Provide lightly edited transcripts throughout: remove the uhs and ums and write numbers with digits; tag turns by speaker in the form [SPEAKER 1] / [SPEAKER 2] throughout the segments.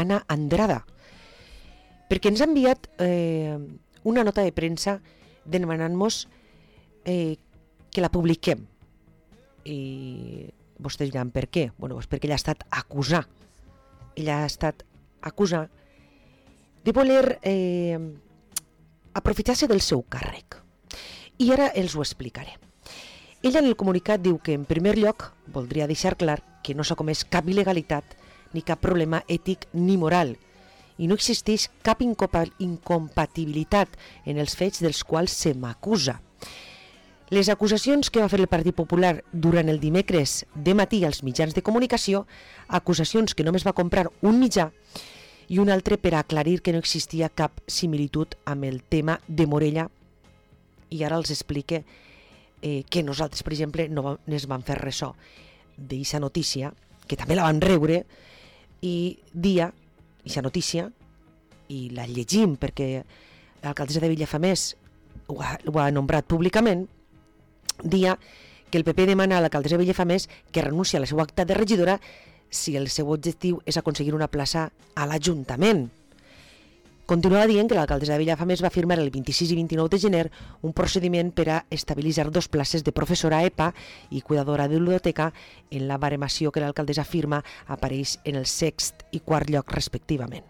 [SPEAKER 1] Anna Andrada, perquè ens ha enviat una nota de premsa demanant-nos que la publiquem. I vostès diran per què? Bueno, doncs perquè ella ha estat acusada. Ella ha estat acusada de voler aprofitar-se del seu càrrec. I ara els ho explicaré. Ella en el comunicat diu que, en primer lloc, voldria deixar clar que no s'ha comès cap il·legalitat ni cap problema ètic ni moral i no existeix cap incompatibilitat en els fets dels quals se m'acusa. Les acusacions que va fer el Partit Popular durant el dimecres de matí als mitjans de comunicació, acusacions que només va comprar un mitjà i un altre per aclarir que no existia cap similitud amb el tema de Morella, i ara els explique que nosaltres, per exemple, no es van fer ressò d'aquesta notícia, que també la van rebre, i dia, aquesta notícia, i la llegim perquè l'alcaldessa de Vilafamés ho ha nombrat públicament, dia que el PP demana a l'alcaldessa de Vilafamés que renuncia a la seva acta de regidora si el seu objectiu és aconseguir una plaça a l'Ajuntament. Continua dient que l'alcaldessa de Vilafamés va firmar el 26 i 29 de gener un procediment per a estabilitzar 2 places de professora EPA i cuidadora de biblioteca en la baremació que l'alcaldessa firma apareix en el 6è i 4è lloc respectivament.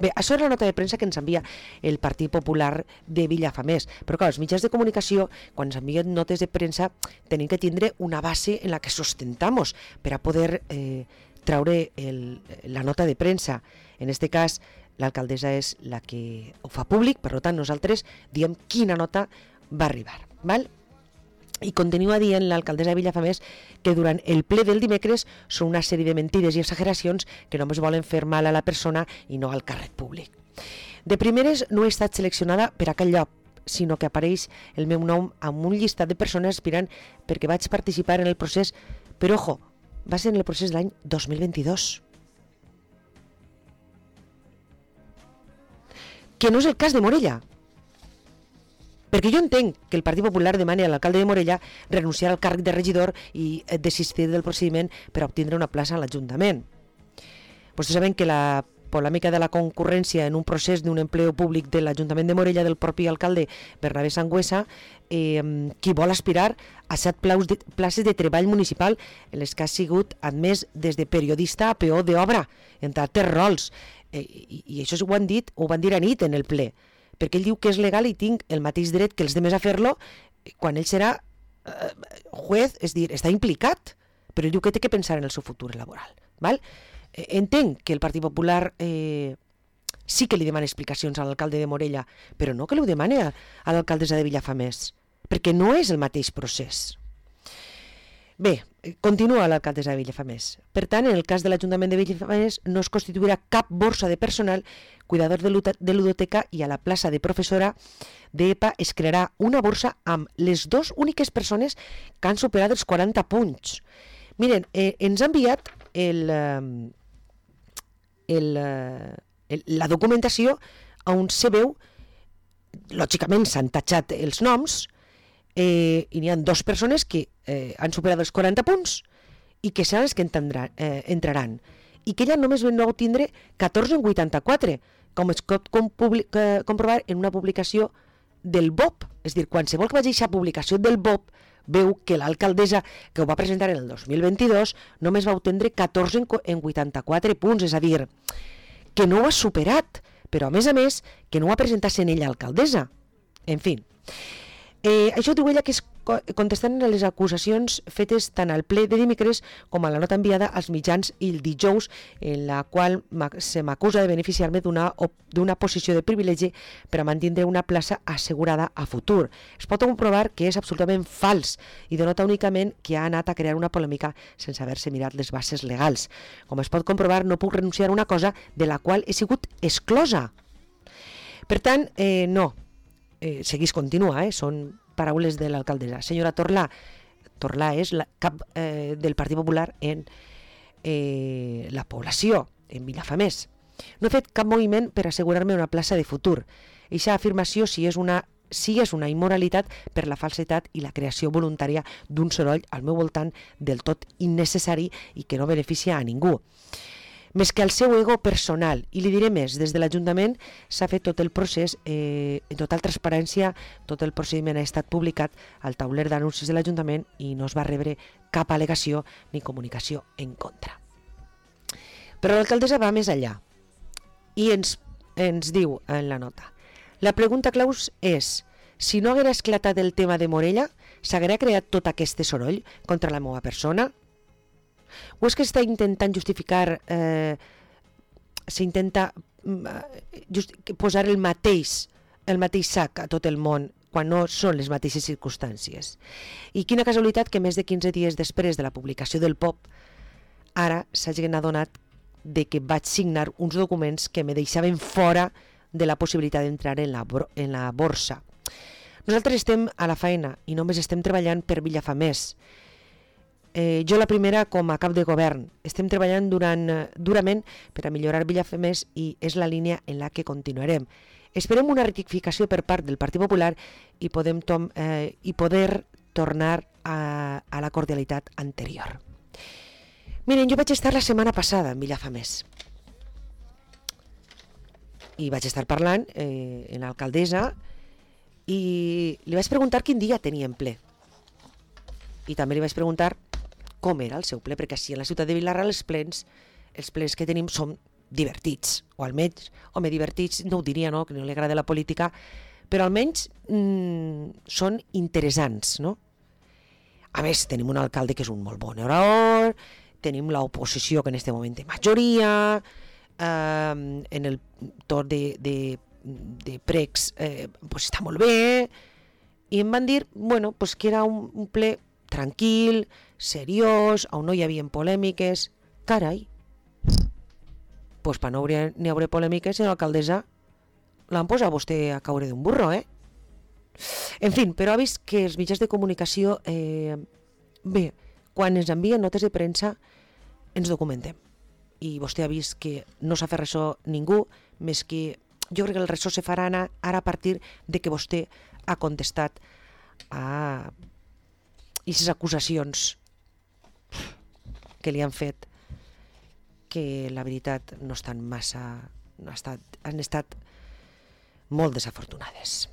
[SPEAKER 1] Bé, això és la nota de premsa que ens envia el Partit Popular de Vilafamés, però clar, els mitjans de comunicació, quan ens envien notes de premsa, tenim que tindre una base en la que sustentamos per a poder traure la nota de premsa. En este cas, l'alcaldessa és la que ho fa públic, per tant nosaltres diem quina nota va arribar, val? I continua dient l'alcaldessa de Vilafamés que durant el ple del dimecres són una sèrie de mentides i exageracions que només volen fer mal a la persona i no al càrrec públic. De primeres no he estat seleccionada per a aquell lloc, sinó que apareix el meu nom amb un llistat de persones aspirant perquè vaig participar en el procés, però ojo, va ser en el procés de l'any 2022. Que no és el cas de Morella. Perquè jo entenc que el Partit Popular demani a l'alcalde de Morella renunciar al càrrec de regidor i desistir del procediment per a obtindre una plaça a l'Ajuntament. Vostès saben que la polèmica de la concurrència en un procés d'un empleo públic de l'Ajuntament de Morella del propi alcalde Bernabé Sangüesa, qui vol aspirar a 7 places de treball municipal en les que ha sigut admès des de periodista a peó d'obra, entre altres rols. I això ho van dir a nit en el ple, perquè ell diu que és legal i tinc el mateix dret que els demés a fer-lo quan ell serà juez, és dir, està implicat, però ell diu que té que pensar en el seu futur laboral. Val? Entenc que el Partit Popular sí que li demana explicacions a l'alcalde de Morella, però no que li ho demani a l'alcaldessa de Vilafamés, perquè no és el mateix procés. Bé, continua l'alcaldessa de Vilafamés. Per tant, en el cas de l'Ajuntament de Vilafamés no es constituirà cap borsa de personal, cuidador de ludoteca, i a la plaça de professora d'EPA es crearà una borsa amb les 2 úniques persones que han superat els 40 punts. Miren, ens ha enviat la documentació on se veu, lògicament s'han tatxat els noms, i n'hi ha 2 persones que han superat els 40 punts i que seran les que entraran, i que ella només va obtindre 14 en 84, com es pot comprovar en una publicació del BOP. És dir, qualsevol que vagi a aquesta publicació del BOP veu que l'alcaldessa, que ho va presentar en el 2022, només va obtindre 14 en 84 punts, és a dir, que no ho ha superat, però a més, que no ho ha presentat sent ella alcaldessa. En fi, això diu ella que és contestant a les acusacions fetes tant al ple de dimecres com a la nota enviada als mitjans el dijous, en la qual se m'acusa de beneficiar-me d'una posició de privilegi per a mantindre una plaça assegurada a futur. Es pot comprovar que és absolutament fals i denota únicament que ha anat a crear una polèmica sense haver-se mirat les bases legals. Com es pot comprovar, no puc renunciar a una cosa de la qual he sigut exclosa. Per tant, no. Seguís, continua, són paraules de l'alcaldessa. Senyora Torlà és la cap del Partit Popular en la població, en Vilafamés. No he fet cap moviment per assegurar-me una plaça de futur. Eixa afirmació sí és una immoralitat per la falsetat i la creació voluntària d'un soroll al meu voltant del tot innecessari i que no beneficia a ningú. més que al seu ego personal. I li diré més, des de l'Ajuntament s'ha fet tot el procés en total transparència, tot el procediment ha estat publicat al tauler d'anuncis de l'Ajuntament i no es va rebre cap al·legació ni comunicació en contra. Però l'alcaldessa va més enllà i ens diu en la nota: la pregunta clau és: si no haguera esclatat el tema de Morella, s'haguera creat tot aquest soroll contra la meva persona? O és que està intentant justificar, s'intenta posar el mateix sac a tot el món quan no són les mateixes circumstàncies? I quina casualitat que més de 15 dies després de la publicació del POP ara s'hagin adonat de que vaig signar uns documents que me deixaven fora de la possibilitat d'entrar en la borsa. Nosaltres estem a la feina i només estem treballant per Vilafamés. Jo la primera com a cap de govern. Estem treballant durament per a millorar Vilafamés i és la línia en la que continuarem. Esperem una rectificació per part del Partit Popular i poder tornar a la cordialitat anterior. Miren, jo vaig estar la setmana passada en Vilafamés i vaig estar parlant amb l'alcaldessa i li vaig preguntar quin dia tenien ple. I també li vaig preguntar com era el seu ple, perquè així a la ciutat de Vila-real els plens que tenim són divertits, o almenys, home, divertits no ho diria, no?, que no li agrada la política, però almenys són interessants, no? A més, tenim un alcalde que és un molt bon orador, tenim l'oposició que en aquest moment té majoria, en el torn de pregs pues està molt bé, i em van dir bueno, pues que era un ple tranquil, seriós, on no hi havia polèmiques. Carai, pues per no n'hi haurà polèmiques, l'alcaldessa l'han posat vostè a caure d'un burro, En fi, però ha vist que els mitjans de comunicació, bé, quan ens envien notes de premsa ens documentem. I vostè ha vist que no s'ha fet ressò ningú, més que jo crec que el ressò se farà ara a partir de que vostè ha contestat a aquestes acusacions que li han fet, que la veritat no estan massa, han estat molt desafortunades.